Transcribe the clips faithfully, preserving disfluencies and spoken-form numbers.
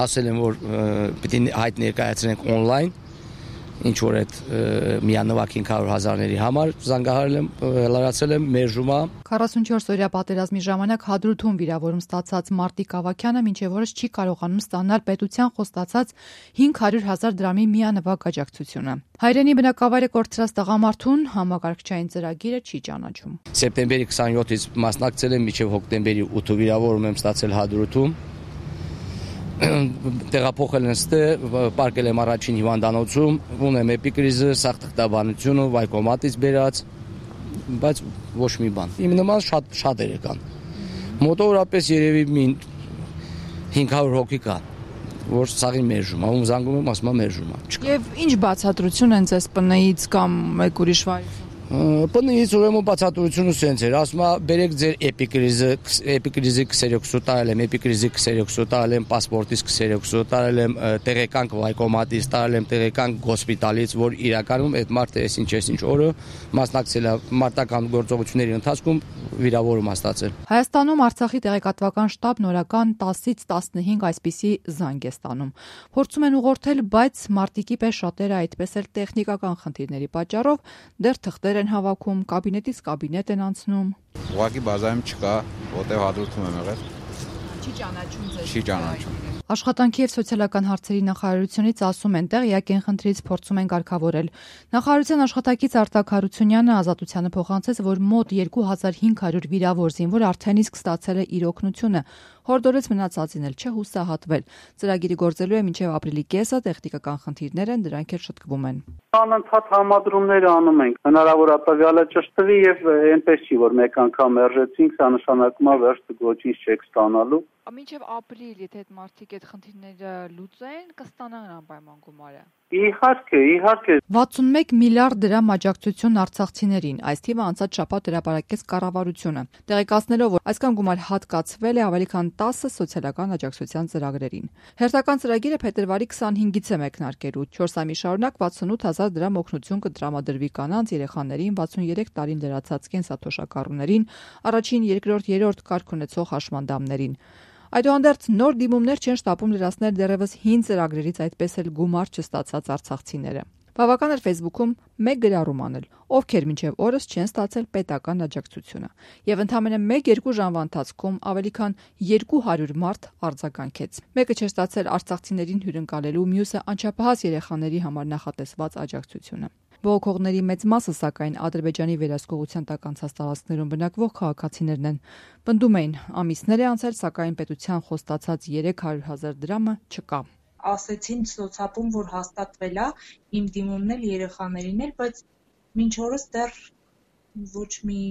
ասել են, որ պիտի հայտ ներկայացնենք on-line, ինչ որ այդ միանվագ հինգ հարյուր հազարների համար զանգահարել եմ, լրացել եմ մերժումա։ քառասունչորս օրյա պատերազմի ժամանակ Հադրութում վիրավորում ստացած Մարտիկ Ավագյանը մինչև օրս չի կարողանում ստանալ պետության խոստացած հինգ հարյուր հազար դրամի միանվագ աջակցությունը։ Հայրենի բնակավայրը կորցրած տղամարդուն համակարգչային ծրագիրը չի ճանաչում։ Սեպտեմբերի քսանյոթից մասնակցել եմ, մինչև հոկտեմբերի ութը վիրավորում եմ ստացել Հադրութում։ Տեղափոխել են ստե, պարկել եմ առաջին հիվանդանոցում, ունեմ էպիկրիզը, սաղթղթաբանությունը, վայկոմատից բերած, բայց ոչ մի բան։ Իմ նման շատ շատերը կան։ Մոտավորապես երևի մի հինգ հարյուր հոգի կա, որ սաղին մերժում, ում զանգում եմ, ասում եմ մերժում է։ Եվ ինչ բացատրություն են ձեզ ՊՆ-ից կամ մեկ ուրիշ վայրից։ ՊՆ-ից ուրեմն բացատրությունը սենց էր, ասում է բերեք ձեր էպիկրիզը, էպիկրիզի քսերոքսը տարել եմ, էպիկրիզի քսերոքսը տարել եմ, պասպորտից քսերոքսը տարել եմ, տեղեկանք վայկոմատից տարել եմ, տեղեկանք հոսպիտալից, որ իրականում այդ մարդը այսինչ այսինչ օրը մասնակցել է մարտական գործողությունների ընթացքում վիրավորում ստացել։ Հայաստանում Արցախի տեղեկատվական շտաբն օրական տասից տասնհինգ այսպիսի զանգ է ստանում։ Փորձում են ուղղորդել, բայց մարտիկի պես շատերը այդպես էլ տեխնիկական խնդիրների պատճառով դեռ թղթեր են հավաքում, կաբինետից կաբինետ են անցնում։ Ուղղակի բազայում չկա, որտեղ Հադրութում եմ եղել։ Չի ճանաչում ձեզ։ Չի ճանաչում։ Աշխատանքի եւ սոցիալական հարցերի նախարարությունից ասում են, տեղյակ են խնդրից փորձում են կարգավորել։ Նախարարության աշխատակից Արտակ Հարությունյանը Ազատությանը փոխանցեց, որ մոտ երկու հազար հինգ հարյուր վիրավոր զինվոր արդեն իսկ ստացել է իր օգնությունը։ Հորդորեց մնացածին էլ չհուսահատվել։ Ծրագիրը գործելու է մինչև ապրիլի կեսը, տեխնիկական խնդիրներ են, դրանք էլ շտկվում են։ Անընդհատ համադրումներ անում ենք, հնարավոր է տվյալը ճշտվի եւ այնպես չի, որ մեկ անգամ մերժեցինք, սա նշանակում է վերջը ոչինչ չեք ստանալու։ Մինչև ապրիլ, եթե այդ մարդիկ այդ խնդիրները լուծեն, կստանան անպայման գումարը։ Իհարկե, իհարկե։ վաթսունմեկ միլիարդ դրամ աջակցություն արցախցիներին, այս թիվը անցած շաբաթ հրապարակեց կառավարությունը, տեղեկացնելով, որ այսքան գումար հատկացվել է ավելի քան տասը սոցիալական աջակցության ծրագրերին։ Հերթական ծրագիրը փետրվարի քսանհինգից է մեկնարկելու, չորս ամիս շարունակ վաթսունութ հազար դրամ օգնություն կտրամադրվի կանանց, երեխաներին, վաթսուներեք տարին լրացած կենսաթոշակառուներին, առաջին, երկրորդ, երրորդ կարգ ունեցող հաշմանդամներին։ Այդուհանդերձ նոր դիմումներ չեն շտապում լրացնել դեռևս հին ծրագրերից այդպես էլ գումար չստացած արցախցիները։ Բավական էր Facebook-ում մեկ գրառում անել, ովքեր մինչև օրս չեն ստացել պետական աջակցությունը, եւ ընդամենը մեկ-երկու ժամվա ընթացքում ավելի քան երկու հարյուր մարդ արձագանքեց։ Մեկը չէր ստացել արցախցիներին հյուրընկալելու, մյուսը անչափահաս երեխաների համար նախատեսված աջակցությունը։ Բողոքողների մեծ մասը, սակայն, Ադրբեջանի վերահսկողության տակ անցած տարածքներում բնակվող քաղաքացիներն են։ Պնդում էին, ամիսներ է անցել, սակայն պետության խոստացած երեք հարյուր հազար դրամը չկա։ Ասեցին սոցապում, որ հաստատվել է, իմ դիմումն էլ երեխաներին էլ, բայց մինչ օրս դեռ ոչ մի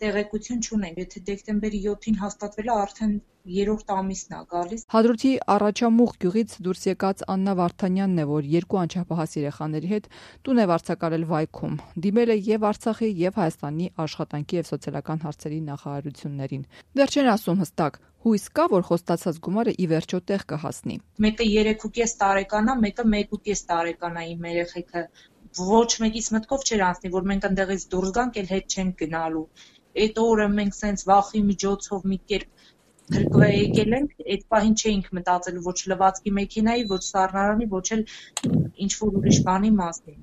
տեղեկություն չունենք։ Եթե դեկտեմբերի յոթին հաստատվել է, արդեն երրորդ ամիսն է գալիս։ Հադրութի Առաջամուղ գյուղից դուրս եկած Աննա Վարդանյանն է, որ երկու անչափահաս երեխաների հետ տուն է վարձակալել Վայքում։ Դիմել է եւ Արցախի եւ Հայաստանի աշխատանքի եւ սոցիալական հարցերի նախարարություններին։ Դեռ չեն ասում հստակ, հույս կա, որ խոստացած գումարը ի վերջո տեղ կհասնի։ Մեկը երեք ու կես տարեկան է, մեկը մեկ ու կես տարեկան է իմ երեխեքը։ Ոչ մեկից մտքով չէր անցնի, որ մենք ընդեղից դուրս գանք, էլ հետ չենք գնալու։ Այդ օրը մենք սենց վախի միջոցով մի կերպ գրկվե եկել ենք, այդ պահին չէինք մտածել ոչ լվացքի մեքենայի, ոչ սառնարանի, ոչ էլ ինչ-որ ուրիշ բանի մասին,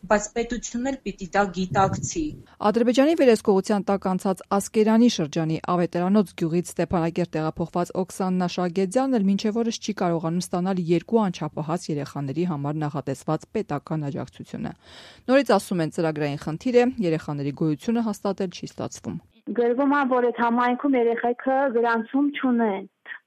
բայց պետությունն էլ պիտի դա գիտակցի։ Ադրբեջանի վերահսկողության տակ անցած Ասկերանի շրջանի Ավետարանոց գյուղից Ստեփանակերտ տեղափոխված Օքսաննա Շագեդյանն էլ մինչև օրս չի կարողանում ստանալ երկու անչափահաս երեխաների համար նախատեսված պետական աջակցությունը։ Նորից ասում են, ծրագրային խնդիր է, երեխաների գոյությունը հաստատել չի ստացվում։ Գրվում է, որ այդ համայնքում երեխեքը գրանցում չունեն,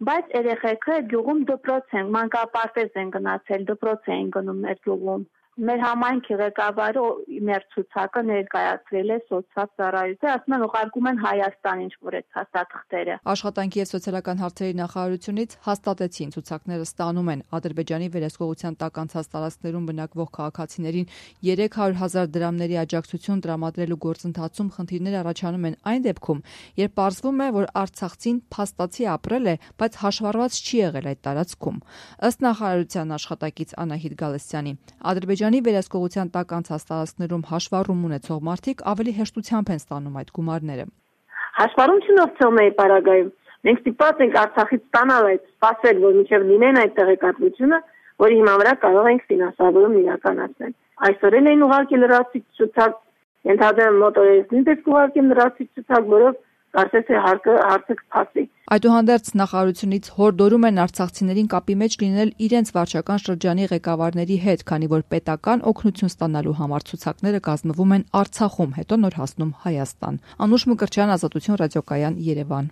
բայց երեխեքը գյուղում դպրոց են, մանկապարտեզ են գնացել, դպրոց են գնում մեր գյուղում։ Մեր համայնքի ղեկավարը մեր ցուցակը ներկայացրել է սոցիալ ծառայության, ասում են ուղարկում են Հայաստան ինչ-որ այդ հաստատքները։ Աշխատանքի եւ սոցիալական հարցերի նախարարությունից հաստատեցին, ցուցակները ստանում են Ադրբեջանի վերահսկողության տակ անցած տարածքներում բնակվող քաղաքացիներին երեք հարյուր հազար դրամների աջակցություն տրամադրելու գործընթացում խնդիրներ առաջանում են այն դեպքում, երբ պարզվում է, որ արցախցին փաստացի ապրել է, բայց հաշվառված չի եղել այդ տարածքում։ Ըստ նախարարության աշխատակից Անահիտ Գալստյանի, Ադրբեջանի վերահսկողության տակ անցած տարածքներում հաշվառում ունեցող մարդիկ ավելի հեշտությամբ են ստանում այդ գումարները։ Հաշվառում չունեցողների պարագայում Մենք ստիպված ենք Արցախից ստանալ այդ սպասել, որ մինչև լինեն այդ տեղեկատվությունը, որի հիման վրա կարող ենք ֆինանսավորում իրականացնել։ Այսօր էլ էին ուղարկել լրացուցիչ ցուցակ, ենթադրեմ մոտորերից նույնպես կուղարկեն լրացուցիչ ցուցակ, որով կարծես թե հարցը հարցը կփասի։ Այդուհանդերձ նախարարությունից հորդորում են արցախցիներին կապի մեջ լինել իրենց վարչական շրջանի ղեկավարների հետ, քանի որ պետական օգնություն ստանալու համար ցուցակները կազմվում են Արցախում, հետո նոր հասնում Հայաստան։ Անուշ Մկրտչյան, Ազատություն ռադիոկայան, Երևան։